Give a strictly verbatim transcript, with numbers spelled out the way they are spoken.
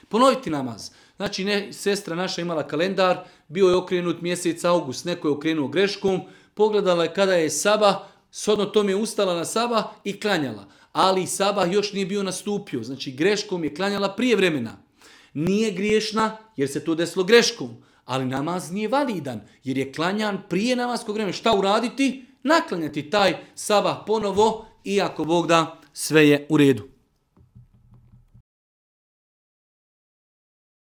Ponoviti namaz. Znači, ne, sestra naša imala kalendar, bio je okrenut mjesec august, neko je okrenuo greškom, pogledala je kada je sabah, shodno tom je ustala na sabah i klanjala. Ali sabah još nije bio nastupio, znači greškom je klanjala prije vremena. Nije griješna jer se to desilo greškom, ali namaz nije validan jer je klanjan prije namaskog vremena. Šta uraditi? Naklanjati taj sabah ponovo, iako Bog da, sve je u redu.